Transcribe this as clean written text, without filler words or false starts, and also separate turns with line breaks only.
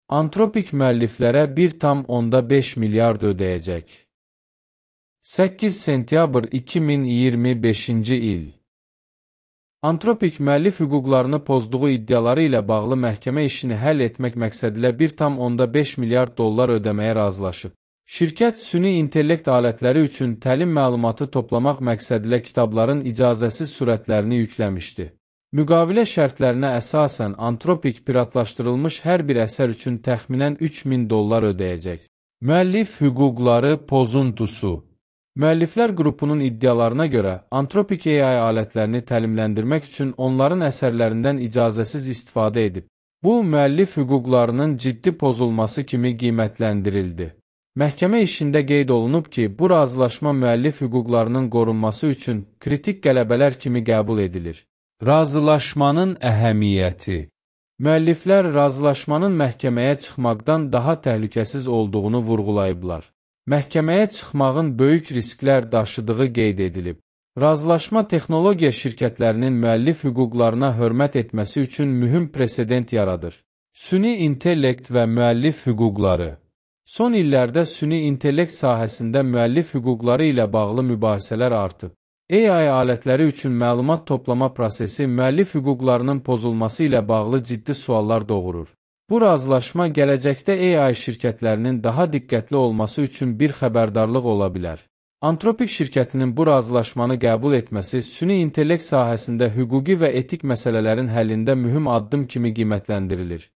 Anthropic müəlliflərə 1,5 milyard ödəyəcək. 8 sentyabr 2025-ci il. Anthropic müəllif hüquqlarını pozduğu iddiaları ilə bağlı məhkəmə işini həll etmək məqsədilə 1,5 milyard dollar ödəməyə razılaşıb. Şirkət süni intellekt alətləri üçün təlim məlumatı toplamaq məqsədilə kitabların icazəsiz sürətlərini yükləmişdi. Müqavilə şərtlərinə əsasən Anthropic piratlaşdırılmış hər bir əsər üçün təxminən 3000 dollar ödəyəcək. Müəllif hüquqları pozuntusu. Müəlliflər qrupunun iddialarına görə Anthropic AI alətlərini təlimləndirmək üçün onların əsərlərindən icazəsiz istifadə edib. Bu, müəllif hüquqlarının ciddi pozulması kimi qiymətləndirildi. Məhkəmə işində qeyd olunub ki, bu razılaşma müəllif hüquqlarının qorunması üçün kritik qələbələr kimi qəbul edilir. Razılaşmanın əhəmiyyəti. Müəlliflər razılaşmanın məhkəməyə çıxmaqdan daha təhlükəsiz olduğunu vurğulayıblar. Məhkəməyə çıxmağın böyük risklər daşıdığı qeyd edilib. Razılaşma texnologiya şirkətlərinin müəllif hüquqlarına hörmət etməsi üçün mühüm presedent yaradır. Süni intellekt və müəllif hüquqları. Son illərdə süni intellekt sahəsində müəllif hüquqları ilə bağlı mübahisələr artıb. AI alətləri üçün məlumat toplama prosesi müəllif hüquqlarının pozulması ilə bağlı ciddi suallar doğurur. Bu razılaşma gələcəkdə AI şirkətlərinin daha diqqətli olması üçün bir xəbərdarlıq ola bilər. Anthropic şirkətinin bu razılaşmanı qəbul etməsi süni intellekt sahəsində hüquqi və etik məsələlərin həllində mühüm addım kimi qiymətləndirilir.